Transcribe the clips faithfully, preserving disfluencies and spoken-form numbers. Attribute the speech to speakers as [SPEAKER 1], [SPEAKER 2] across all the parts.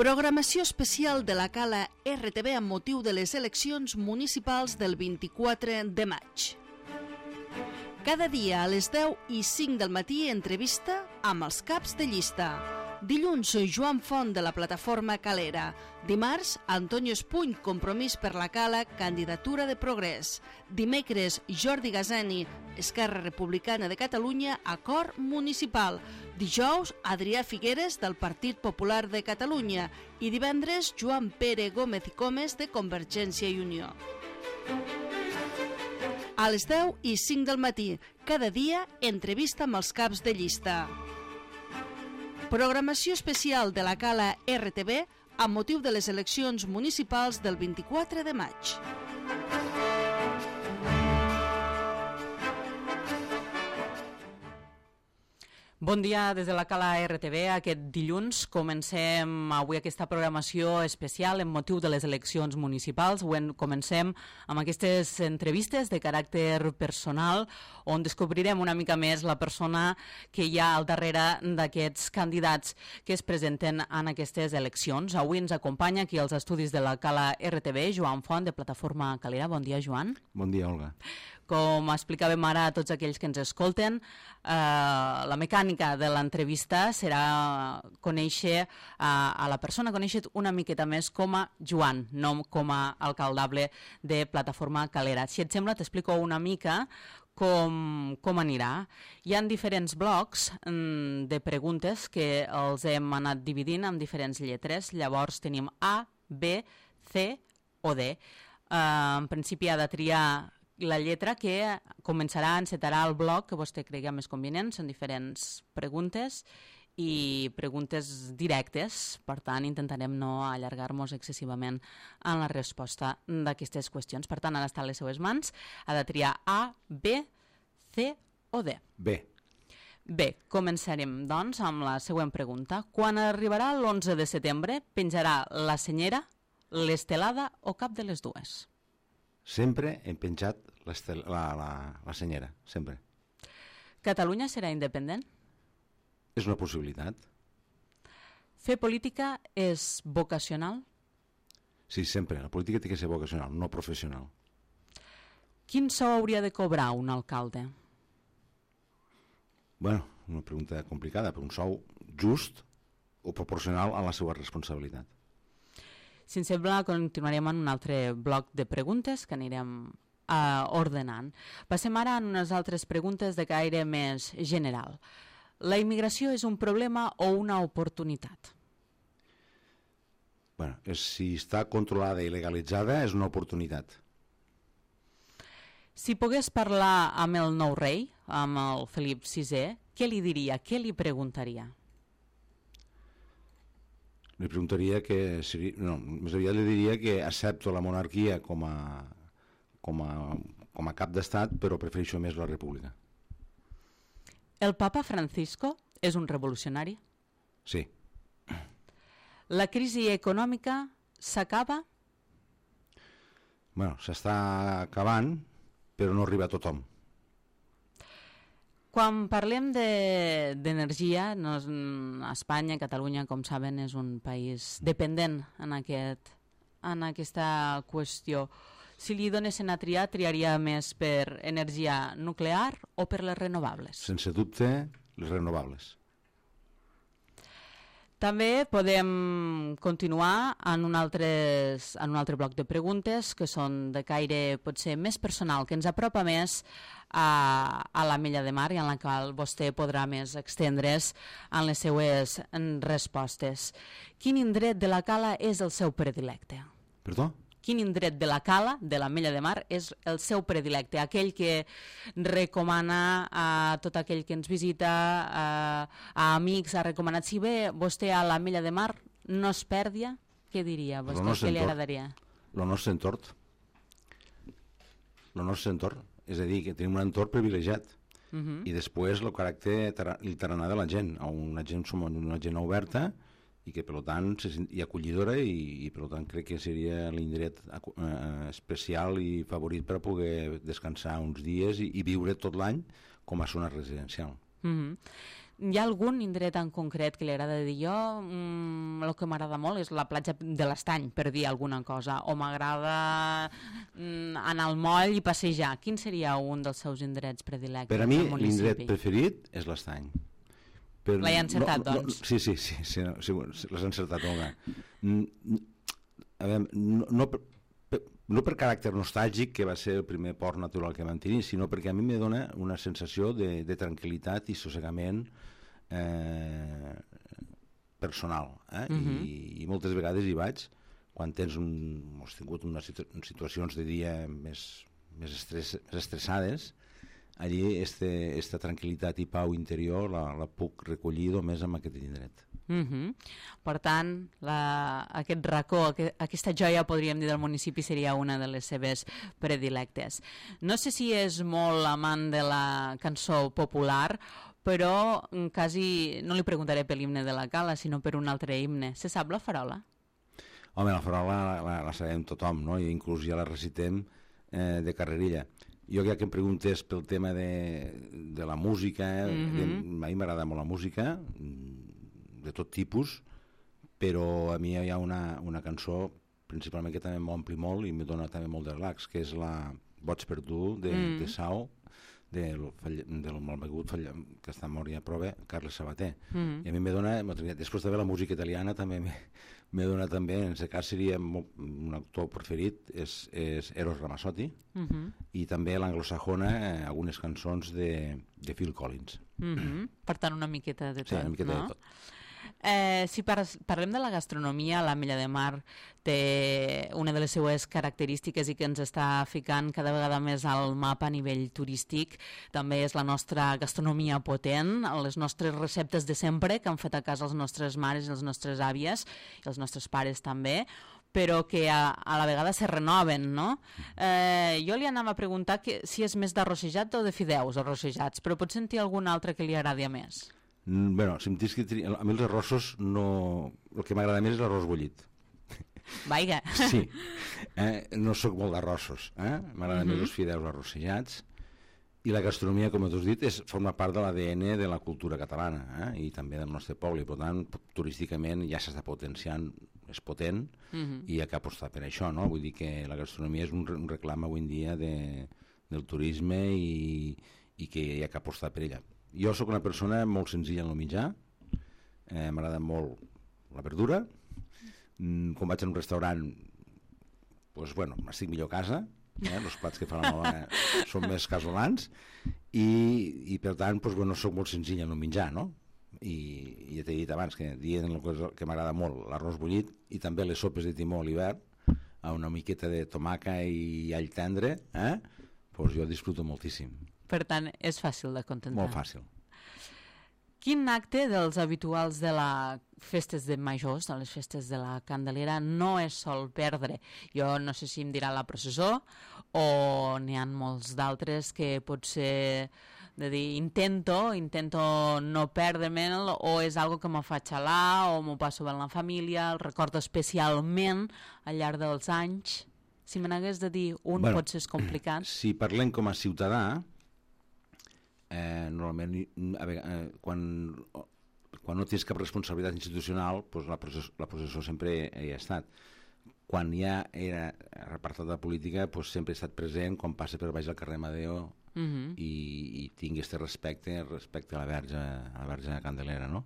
[SPEAKER 1] Programació especial de la Cala R T V amb motiu de les eleccions municipals del vint-i-quatre de maig. Cada dia a les deu i cinc del matí entrevista amb els caps de llista. Dilluns, Joan Font de la plataforma Calera. Dimarts, Antonio Espuny, Compromís per la Cala, candidatura de Progrés. Dimecres, Jordi Gazani, Esquerra Republicana de Catalunya, acord municipal. Dijous, Adrià Figueres, del Partit Popular de Catalunya. I divendres, Joan Pere Gómez i Comes, de Convergència i Unió. A les deu i cinc del matí, cada dia, entrevista amb els caps de llista. Programació especial de la Cala R T V amb motiu de les eleccions municipals del vint-i-quatre de maig. Bon dia des de la Cala R T V. Aquest dilluns comencem avui aquesta programació especial en motiu de les eleccions municipals. Avui comencem amb aquestes entrevistes de caràcter personal on descobrirem una mica més la persona que hi ha al darrere d'aquests candidats que es presenten en aquestes eleccions. Avui ens acompanya aquí als estudis de la Cala R T V Joan Font, de Plataforma Calera. Bon dia, Joan.
[SPEAKER 2] Bon dia, Olga.
[SPEAKER 1] Com explicàvem ara a tots aquells que ens escolten, eh, la mecànica de l'entrevista serà conèixer eh, a la persona, conèixer una miqueta més com a Joan, no com a alcaldable de Plataforma Calera. Si et sembla, t'explico una mica com, com anirà. Hi ha diferents blocs mm, de preguntes que els hem anat dividint en diferents lletres. Llavors tenim A, B, C o D. Eh, en principi ha de triar la lletra que començarà, encetarà el bloc que vostè cregui més convenient. Són diferents preguntes i preguntes directes, per tant intentarem no allargar-nos excessivament en la resposta d'aquestes qüestions. Per tant, ara està a les seues mans, ha de triar A, B, C o D.
[SPEAKER 2] B.
[SPEAKER 1] Bé, començarem doncs amb la següent pregunta. Quan arribarà l'onze de setembre, penjarà la senyera, l'estelada o cap de les dues?
[SPEAKER 2] Sempre hem penjat la, la, la senyera, sempre.
[SPEAKER 1] Catalunya serà independent?
[SPEAKER 2] És una possibilitat.
[SPEAKER 1] Fer política és vocacional?
[SPEAKER 2] Sí, sempre. La política té que ser vocacional, no professional.
[SPEAKER 1] Quin sou hauria de cobrar un alcalde?
[SPEAKER 2] Bueno, una pregunta complicada, però un sou just o proporcional a la seva responsabilitat.
[SPEAKER 1] Si ens sembla, continuarem en un altre bloc de preguntes que anirem uh, ordenant. Passem ara a unes altres preguntes de caire més general. La immigració és un problema o una oportunitat?
[SPEAKER 2] Bueno, és, si està controlada i legalitzada, és una oportunitat.
[SPEAKER 1] Si pogués parlar amb el nou rei, amb el Felip sisè, què li diria, què li preguntaria?
[SPEAKER 2] Li preguntaria que, no, més aviat li diria que accepto la monarquia com a, com a, com a cap d'estat, però prefereixo més la república.
[SPEAKER 1] El papa Francisco és un revolucionari?
[SPEAKER 2] Sí.
[SPEAKER 1] La crisi econòmica s'acaba?
[SPEAKER 2] Bueno, s'està acabant, però no arriba a tothom.
[SPEAKER 1] Quan parlem d'energia, de, no, Espanya, Catalunya, com saben, és un país dependent en, aquest, en aquesta qüestió. Si li donessin a triar, triaria més per energia nuclear o per les renovables?
[SPEAKER 2] Sense dubte, les renovables.
[SPEAKER 1] També podem continuar en un, altres, en un altre bloc de preguntes que són de caire potser més personal, que ens apropa més a, a l'Ametlla de Mar i en la qual vostè podrà més extendre's en les seues respostes. Quin indret de la Cala és el seu predilecte?
[SPEAKER 2] Perdó?
[SPEAKER 1] Quin indret de la Cala, de l'Ametlla de Mar, és el seu predilecte, aquell que recomana a tot aquell que ens visita, a, a amics, ha recomanat. Si ve vostè a l'Ametlla de Mar, no es perdia, què diria vostè? Què li agradaria?
[SPEAKER 2] El nostre entorn. El nostre entorn. És a dir, que tenim un entorn privilegiat. Uh -huh. I després el caràcter el tarannà de la gent. Una gent, som una gent oberta i que per tant i acollidora i, i per tant crec que seria l'indret eh, especial i favorit per a poder descansar uns dies i, i viure tot l'any com a zona residencial.
[SPEAKER 1] Mm-hmm. Hi ha algun indret en concret que li agrada dir? Jo, mm, el que m'agrada molt és la platja de l'Estany, per dir alguna cosa, o m'agrada mm, anar al moll i passejar. Quin seria un dels seus indrets predilectes?
[SPEAKER 2] Per a mi, l'indret preferit és l'Estany.
[SPEAKER 1] L'he encertat,
[SPEAKER 2] no, no,
[SPEAKER 1] doncs.
[SPEAKER 2] Sí, sí, sí, sí, sí l'has encertat, Olga. A veure, no, no, per, no per caràcter nostàlgic, que va ser el primer port natural que vam tenir, sinó perquè a mi me dona una sensació de, de tranquil·litat i sossegament eh, personal. Eh? Uh-huh. I, I moltes vegades hi vaig, quan tens un, has tingut unes situacions de dia més, més, estress, més estressades, allí este, esta tranquil·litat i pau interior la, la puc recollir només amb aquest indret.
[SPEAKER 1] Uh-huh. Per tant, la, aquest racó, aquest, aquesta joia, podríem dir, del municipi seria una de les seves predilectes. No sé si és molt amant de la cançó popular, però quasi no li preguntaré per l'himne de la Cala, sinó per un altre himne. Se sap la farola?
[SPEAKER 2] Home, la farola la, la, la sabem tothom, no? I inclús ja la recitem eh, de carrerilla. Jo ja que em preguntes pel tema de, de la música, mm-hmm. de, a mi m'agrada molt la música, de tot tipus, però a mi hi ha una, una cançó principalment que també m'ompli molt i me dona també molt de relax, que és la Boig per tu, de, mm. de Sau, del, del malbegut que està mort ja prova, Carles Sabater. Mm. I a mi me dona, després també la música italiana també me, me dona també, en aquest cas seria un autor preferit, és, és Eros Ramazzotti, mm-hmm. i també l'anglosajona, eh, algunes cançons de, de Phil Collins.
[SPEAKER 1] Mm-hmm. Per tant, una miqueta de tot,
[SPEAKER 2] sí, una miqueta
[SPEAKER 1] no?
[SPEAKER 2] de tot.
[SPEAKER 1] Eh, si par parlem de la gastronomia, l'Ametlla de Mar té una de les seues característiques i que ens està ficant cada vegada més al mapa a nivell turístic. També és la nostra gastronomia potent, les nostres receptes de sempre que han fet a casa les nostres mares i les nostres àvies i els nostres pares també, però que a, a la vegada se renoven, no? Eh, jo li anava a preguntar que, si és més d'arrossejat o de fideus arrossejats, però pot sentir algun altre que li agradi a més?
[SPEAKER 2] Mm, bueno, si em tens que triar, a mi els arrossos no... El que m'agrada més és l'arròs bullit.
[SPEAKER 1] Vaiga.
[SPEAKER 2] Sí, eh? No sóc molt d'arrossos, eh? M'agraden uh-huh. més els fideus arrossejats, i la gastronomia, com tu has dit, és, forma part de l'A D N de la cultura catalana, eh? I també del nostre poble, i per tant, turísticament ja s'està potenciant, és potent, uh-huh. i hi ha que apostar per això, no? Vull dir que la gastronomia és un, un reclam avui en dia de, del turisme i, i que hi ha que apostar per ella. Jo sóc una persona molt senzilla en el menjar, eh, m'agrada molt la verdura, mm, quan vaig a un restaurant, pues, bueno, estic millor a casa, eh, els plats que fan la meva dona són més casolans, i, i per tant, pues, bueno, sóc molt senzilla en el menjar, no? I, i ja t'he dit abans que dient el que, que m'agrada molt, l'arròs bullit, i també les sopes de timó a l'hivern, a una miqueta de tomaca i all tendre, eh? Pues jo disfruto moltíssim.
[SPEAKER 1] Per tant, és fàcil de contentar.
[SPEAKER 2] Molt fàcil.
[SPEAKER 1] Quin acte dels habituals de les festes de majors, de les festes de la Candelera, no es sol perdre? Jo no sé si em dirà la processó o n'hi ha molts d'altres que potser de dir intento, intento no perdre-me'l, o és algo que me fa xalar o m'ho passo bé en la família, el recordo especialment al llarg dels anys. Si me n'hagués de dir un, bueno, potser és complicat.
[SPEAKER 2] Si parlem com a ciutadà, Eh, normalment a veure, eh, quan, quan no tens cap responsabilitat institucional, doncs la processó, la processó sempre hi ha estat. Quan ja era repartat de política, doncs sempre he estat present quan passa per baix al carrer Amadeo, uh-huh. i, i tinc aquest respecte respecte a la Verge, a la Verge Candelera, no?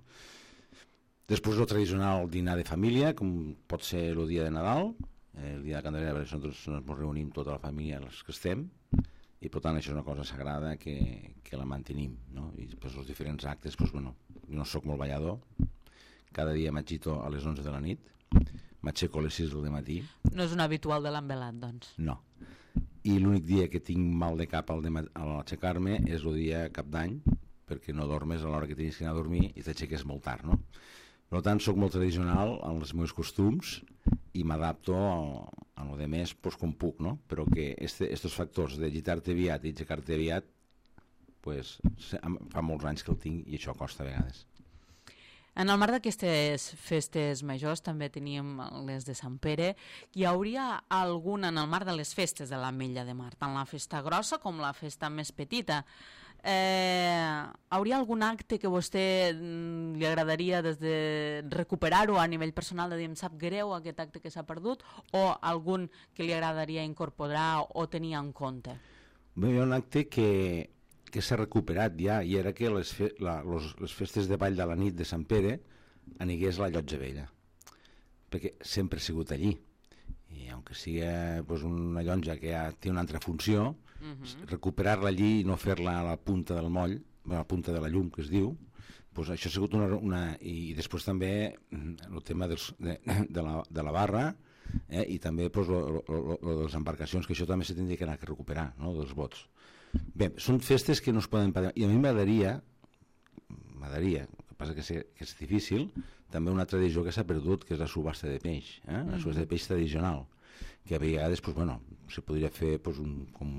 [SPEAKER 2] Després el tradicional dinar de família, com pot ser el dia de Nadal, eh, el dia de Candelera, perquè nosaltres ens reunim tota la família, els que estem, i per tant això és una cosa sagrada que, que la mantenim, no? I després els diferents actes, doncs, bueno, jo no sóc molt ballador, cada dia m'agito a les onze de la nit, m'aixeco a les sis del matí.
[SPEAKER 1] No és un habitual de l'envelat, doncs.
[SPEAKER 2] No. I l'únic dia que tinc mal de cap al, al aixecar-me és el dia cap d'any, perquè no dormes a l'hora que tens que anar a dormir i t'aixeques molt tard, no? Per tant, sóc molt tradicional en els meus costums i m'adapto a, a lo de més pues, com puc, no? Però que este, estos factors de gitar-te aviat i aixecar-te aviat, pues, fa molts anys que el tinc i això costa a vegades.
[SPEAKER 1] En el marc d'aquestes festes majors també teníem les de Sant Pere. Hi hauria alguna en el marc de les festes de l'Ametlla de Mar, tant la festa grossa com la festa més petita. Eh, hauria algun acte que a vostè mm, li agradaria des de recuperar-ho a nivell personal, de dir, em sap greu aquest acte que s'ha perdut, o algun que li agradaria incorporar o tenir en compte?
[SPEAKER 2] Bé, hi ha un acte que, que s'ha recuperat ja, i era que les, fe, la, los, les festes de ball de la nit de Sant Pere anigués a la Llotja Vella, perquè sempre ha sigut allí, i aunque sigui pues, una llotja que ja té una altra funció, uh-huh. recuperar-la allí i no fer-la a la punta del moll, a la punta de la llum, que es diu, pues això ha sigut una... una i després també el tema dels, de, de, la, de la barra, eh, i també pues, lo, lo, lo, lo de les embarcacions, que això també se tindria que anar a recuperar, no?, dels bots. Bé, són festes que no es poden pagar, i a mi m'agradaria, m'agradaria, el que passa que, sé, que és difícil, també una tradició que s'ha perdut, que és la subhasta de peix, eh? La subhasta de peix tradicional, que a vegades pues, bueno, se podria fer pues, un, com,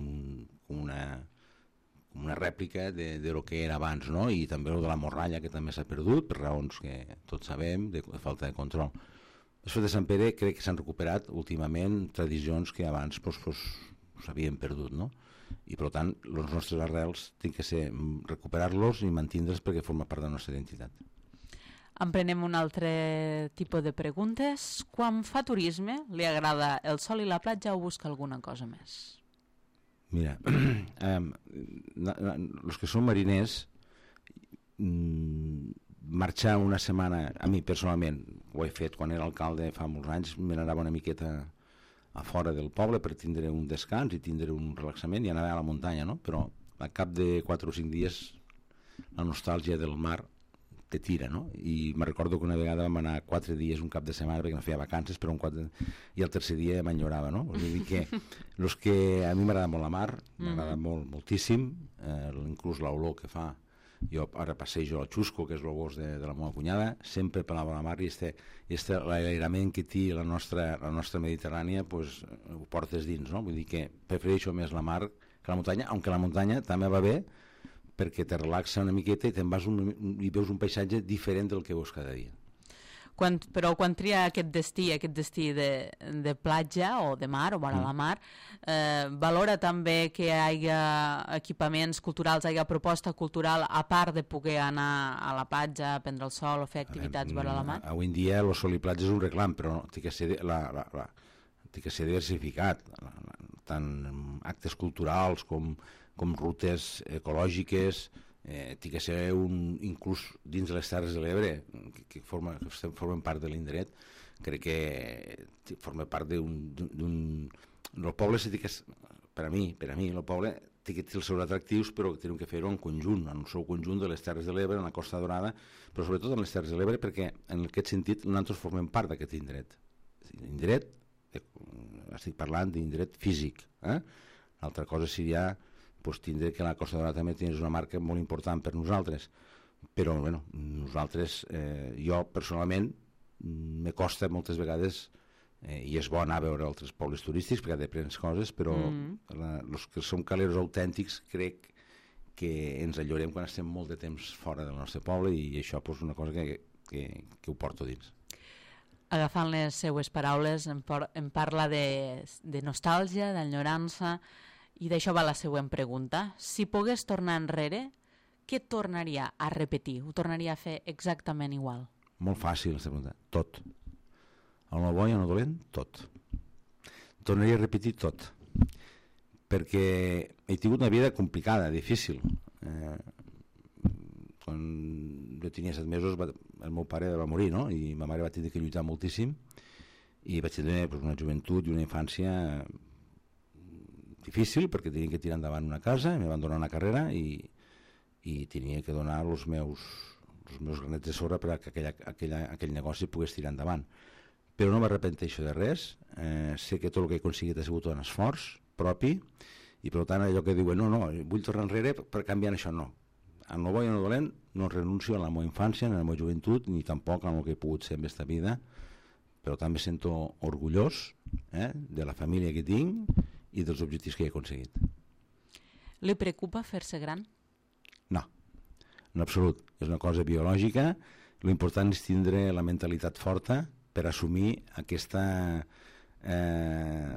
[SPEAKER 2] com, una, com una rèplica de, de lo que era abans, no? I també el de la morralla, que també s'ha perdut, per raons que tots sabem, de, de falta de control. Les festes de Sant Pere crec que s'han recuperat últimament tradicions que abans pues, pues, s'havien perdut, no? I per tant, els nostres arrels tenen que ser recuperar-los i mantenir-los perquè forma part de la nostra identitat.
[SPEAKER 1] Emprenem un altre tipus de preguntes. Quan fa turisme, li agrada el sol i la platja o busca alguna cosa més?
[SPEAKER 2] Mira, els que són mariners, marxar una setmana, a mi personalment, ho he fet quan era alcalde fa molts anys, me n'anava una miqueta a fora del poble per tindre un descans i tindre un relaxament i anar a la muntanya, no? Però a cap de quatre o cinc dies la nostàlgia del mar te tira, no? I me recordo que una vegada vam anar quatre dies, un cap de setmana, perquè no feia vacances, però un quatre... i el tercer dia m'enyorava, no? Vull dir que, los que a mi m'agrada molt la mar, m'agrada mm-hmm. molt, moltíssim, eh, inclús l'olor que fa. Jo ara passejo al Xusco, que és el gos de, de la meva cunyada, sempre per la mar, i este, este l'airament que té la nostra, la nostra Mediterrània, pues, ho portes dins, no? Vull dir que prefereixo més la mar que la muntanya, aunque la muntanya també va bé, perquè te relaxa una miqueta i te'n vas un, i veus un paisatge diferent del que veus cada dia.
[SPEAKER 1] Quan, però quan tria aquest destí, aquest destí de, de platja o de mar o vora mm. la mar, eh, valora també que hi hagi equipaments culturals, hi hagi proposta cultural, a part de poder anar a la platja, prendre el sol o fer activitats veure, vora la mar?
[SPEAKER 2] Avui en dia el sol i platja és un reclam, però no, té que ser, la, la, la, té que ser diversificat, la, la, tant actes culturals com com rutes ecològiques, eh, té que ser un, inclús dins de les Terres de l'Ebre, que, que, forma, que formen part de l'indret, crec que forma part d'un... El poble, que, per a mi, per a mi, el poble té que té els seus atractius, però tenim que fer-ho en conjunt, en el seu conjunt de les Terres de l'Ebre, en la Costa Dorada, però sobretot en les Terres de l'Ebre, perquè en aquest sentit nosaltres formem part d'aquest indret. Indret, estic parlant d'indret físic. Eh? L'altra cosa seria pues, tindre que la Costa Dorada també és una marca molt important per nosaltres, però bueno, nosaltres, eh, jo personalment me costa moltes vegades, eh, i és bo anar a veure altres pobles turístics perquè d'aprens coses, però mm. la, els que som caleros autèntics crec que ens enllorem quan estem molt de temps fora del nostre poble, i això és pues, una cosa que, que, que ho porto dins.
[SPEAKER 1] Agafant les seues paraules, em, por, em parla de, de nostàlgia, d'enyorança, i d'això va la següent pregunta. Si pogués tornar enrere, què tornaria a repetir? Ho tornaria a fer exactament igual?
[SPEAKER 2] Molt fàcil, aquesta pregunta. Tot. El no bo i el no dolent, tot. Tornaria a repetir tot. Perquè he tingut una vida complicada, difícil. Eh, quan jo tenia set mesos, va, el meu pare va morir, no? I ma mare va tenir que lluitar moltíssim, i vaig tenir pues, una joventut i una infància difícil, perquè tenia que tirar endavant una casa, em van donar una carrera i, i tenia que donar els meus, els meus granets de sorra perquè aquella, aquella, aquell negoci pogués tirar endavant. Però no m'arrepenteixo de res, eh, sé que tot el que he aconseguit ha sigut un esforç propi, i per tant allò que diuen, no, no, vull tornar enrere per canviar això, no. En el bo i en el dolent no renuncio a la meva infància, a la meva joventut, ni tampoc a el que he pogut ser en aquesta vida, però també sento orgullós eh, de la família que tinc i dels objectius que he aconseguit.
[SPEAKER 1] Li preocupa fer-se gran?
[SPEAKER 2] No, en absolut. És una cosa biològica. L'important és tindre la mentalitat forta per assumir aquesta eh,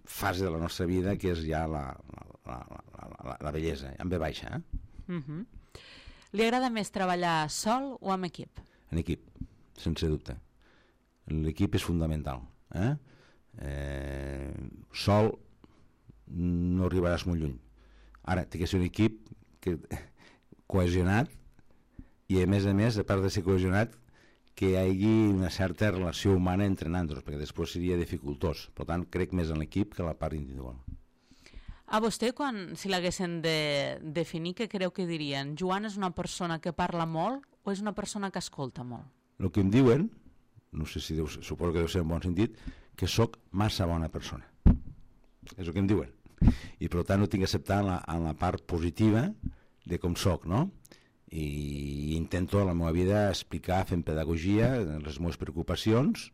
[SPEAKER 2] fase de la nostra vida que és ja la, la, la, la, la bellesa, en ve baixa. Eh?
[SPEAKER 1] Uh-huh. Li agrada més treballar sol o amb equip?
[SPEAKER 2] En equip, sense dubte. L'equip és fundamental. Eh? Eh, sol no arribaràs molt lluny. Ara, té que ser un equip que, cohesionat, i a més a més, a part de ser cohesionat, que hi hagi una certa relació humana entre nosaltres, perquè després seria dificultós. Per tant, crec més en l'equip que en la part individual.
[SPEAKER 1] A vostè, quan, si l'haguessin de definir, què creu que dirien? Joan és una persona que parla molt o és una persona que escolta molt?
[SPEAKER 2] El que em diuen, no sé si deu, suposo que deu ser en bon sentit, que sóc massa bona persona. És el que em diuen. I per tant ho tinc que acceptar en la, en la part positiva de com sóc, no? I intento a la meva vida explicar, fent pedagogia, les meves preocupacions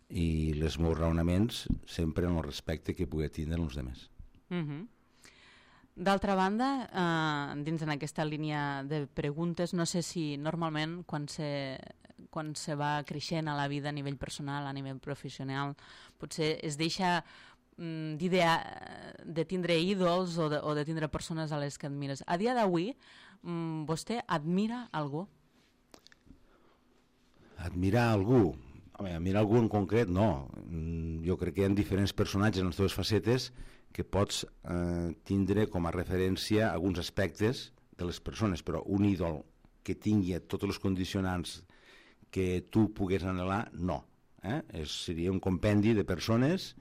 [SPEAKER 2] i els meus raonaments sempre en el respecte que pugui tindre els altres.
[SPEAKER 1] Uh-huh. D'altra banda, eh, dins en aquesta línia de preguntes, no sé si normalment quan se, quan se va creixent a la vida a nivell personal, a nivell professional, potser es deixa mm, d'idea de tindre ídols o de, o de tindre persones a les que admires. A dia d'avui, mm, vostè admira algú?
[SPEAKER 2] Admirar algú? Home, admirar algú en concret, no. Jo crec que hi ha diferents personatges en les teves facetes que pots eh, tindre com a referència alguns aspectes de les persones, però un ídol que tingui tots els condicionants que tu pugues anhelar, no. Eh? És, seria un compendi de persones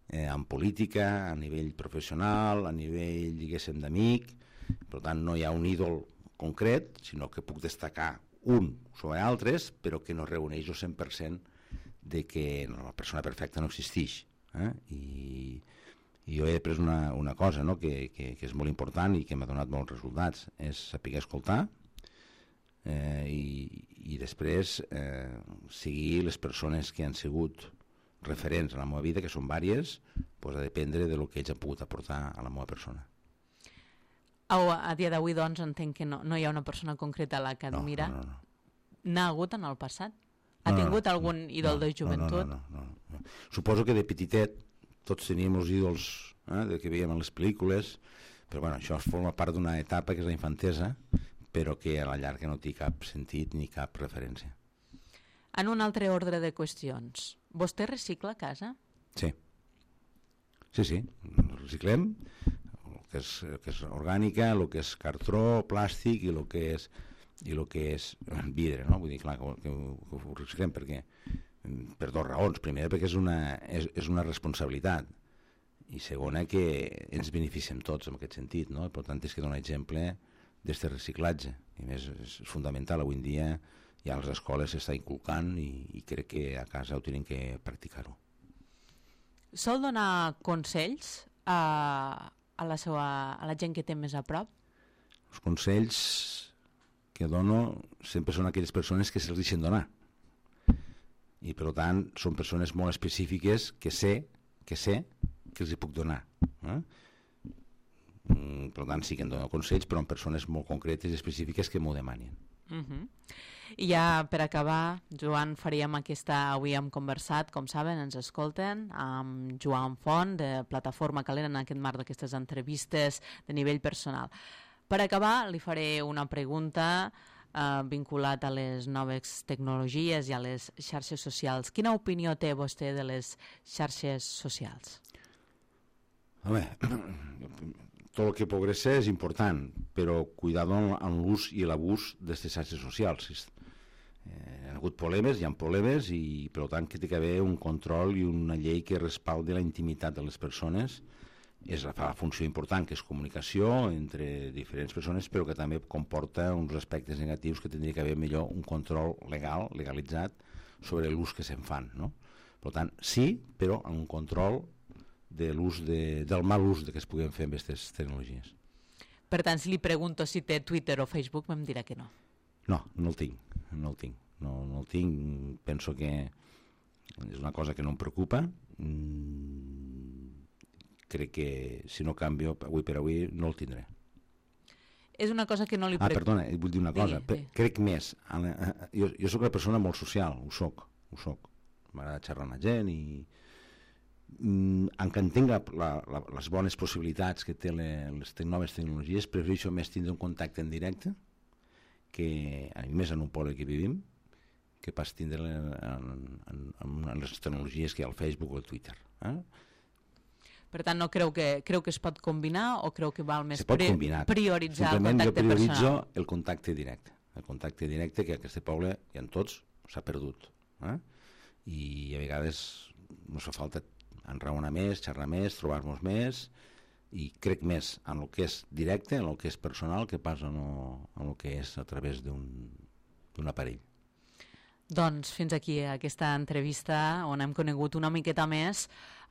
[SPEAKER 2] eh, en política, a nivell professional, a nivell, diguéssim, d'amic. Per tant, no hi ha un ídol concret, sinó que puc destacar un sobre altres, però que no reuneix el cent per cent de que la persona perfecta no existeix. Eh? I... I jo he après una, una cosa, no? que, que, que és molt important i que m'ha donat molts resultats, és saber escoltar eh, i, i després eh, seguir les persones que han sigut referents a la meva vida, que són vàries, pues, a dependre de lo que ells han pogut aportar a la meva persona.
[SPEAKER 1] A, a dia d'avui, doncs, entenc que no, no hi ha una persona concreta a la que admira.
[SPEAKER 2] No, no, no.
[SPEAKER 1] N'ha hagut en el passat? Ha no, tingut no, algun no, ídol no, de joventut?
[SPEAKER 2] No, no, no, no, no. Suposo que de petitet tots teníem els ídols eh, de que veiem en les pel·lícules, però bueno, això forma part d'una etapa que és la infantesa, però que a la llarga no té cap sentit ni cap referència.
[SPEAKER 1] En un altre ordre de qüestions, vostè recicla a casa?
[SPEAKER 2] Sí. Sí, sí, reciclem el que és, el que és orgànica, el que és cartró, plàstic i el que és, i el que és vidre, no? Vull dir, clar, que, que, que ho reciclem perquè per dues raons. Primera, perquè és una, és, és una responsabilitat, i segona, que ens beneficiem tots en aquest sentit, no? Per tant, és que donar exemple d'aquest reciclatge, i més és fundamental. Avui en dia ja a les escoles s'està inculcant i, i crec que a casa ho tenen que practicar-ho.
[SPEAKER 1] Sol donar consells a, a, la seva, a la gent que té més a prop?
[SPEAKER 2] Els consells que dono sempre són aquelles persones que se'ls deixen donar, i per tant són persones molt específiques que sé que sé que els hi puc donar, eh? Per tant sí que em dono consells, però en persones molt concretes i específiques que m'ho demanin.
[SPEAKER 1] Uh-huh. I ja per acabar, Joan, faríem aquesta, avui hem conversat, com saben, ens escolten, amb Joan Font, de Plataforma Calent, en aquest marc d'aquestes entrevistes de nivell personal. Per acabar, li faré una pregunta Uh, vinculat a les noves tecnologies i a les xarxes socials. Quina opinió té vostè de les xarxes socials?
[SPEAKER 2] Home, tot el que progressa és important, però cuidado amb l'ús i l'abús d'aquestes xarxes socials. Eh, hi ha hagut problemes, hi ha problemes, i per tant que té que haver un control i una llei que respaldi la intimitat de les persones. És la, la funció important, que és comunicació entre diferents persones, però que també comporta uns aspectes negatius que tindria que haver millor un control legal, legalitzat, sobre l'ús que se'n fan, no? Per tant, sí, però amb un control de l'ús de, del mal ús que es puguin fer amb aquestes tecnologies.
[SPEAKER 1] Per tant, si li pregunto si té Twitter o Facebook, em dirà que no.
[SPEAKER 2] No, no el tinc, no el tinc. No, no el tinc, penso que és una cosa que no em preocupa. Mm, crec que si no canvio avui per avui no el tindré.
[SPEAKER 1] És una cosa que no li
[SPEAKER 2] preocupa. Ah, perdona, vull dir una cosa.
[SPEAKER 1] Digui, digui.
[SPEAKER 2] Crec més. Jo, jo soc una persona molt social, ho soc, ho soc. M'agrada xerrar amb la gent i, mm, en què entenga la, la, les bones possibilitats que té le, les te noves tecnologies, prefereixo més tindre un contacte en directe, que a més en un poble que vivim, que pas tindre en, en, en les tecnologies que hi ha al Facebook o al Twitter. Eh?
[SPEAKER 1] Per tant, no creu que, creu que es pot combinar o creu que val més
[SPEAKER 2] Se pot
[SPEAKER 1] pri
[SPEAKER 2] combinar.
[SPEAKER 1] prioritzar
[SPEAKER 2] Simplement
[SPEAKER 1] el contacte
[SPEAKER 2] jo prioritzo
[SPEAKER 1] personal?
[SPEAKER 2] el contacte directe. El contacte directe que a aquest poble i en tots s'ha perdut. Eh? I a vegades no fa falta enraonar més, xerrar més, trobar-nos més, i crec més en el que és directe, en el que és personal, que pas en el, en el que és a través d'un aparell.
[SPEAKER 1] Doncs fins aquí aquesta entrevista on hem conegut una miqueta més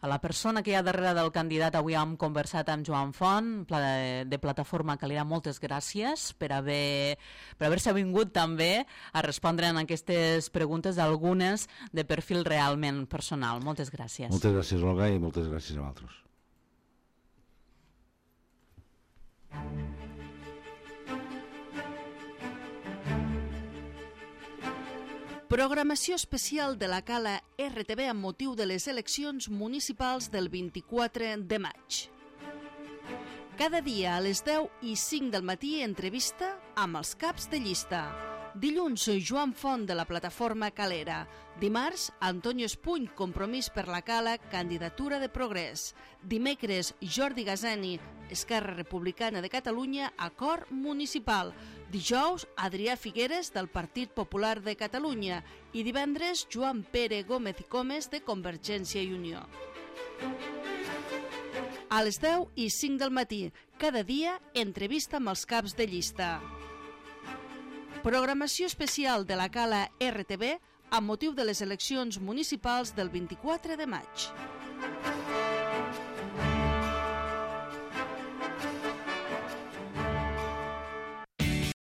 [SPEAKER 1] a la persona que hi ha darrere del candidat. Avui hem conversat amb Joan Font, de, de Plataforma Calera. Moltes gràcies per haver per haver-se vingut també a respondre en aquestes preguntes, algunes de perfil realment personal. Moltes gràcies.
[SPEAKER 2] Moltes gràcies, Olga, i moltes gràcies a vosaltres.
[SPEAKER 3] Programació especial de la Cala R T V amb motiu de les eleccions municipals del vint-i-quatre de maig. Cada dia a les deu i cinc del matí entrevista amb els caps de llista. Dilluns, Joan Font, de la Plataforma Calera. Dimarts, Antonio Espuny, Compromís per la Cala, candidatura de Progrés. Dimecres, Jordi Gazani, Esquerra Republicana de Catalunya, acord municipal. Dijous, Adrià Figueres, del Partit Popular de Catalunya. I divendres, Joan Pere Gómez i Comes, de Convergència i Unió. A les deu i cinc del matí, cada dia, entrevista amb els caps de llista. Programació especial de la Cala R T V amb motiu de les eleccions municipals del vint-i-quatre de maig.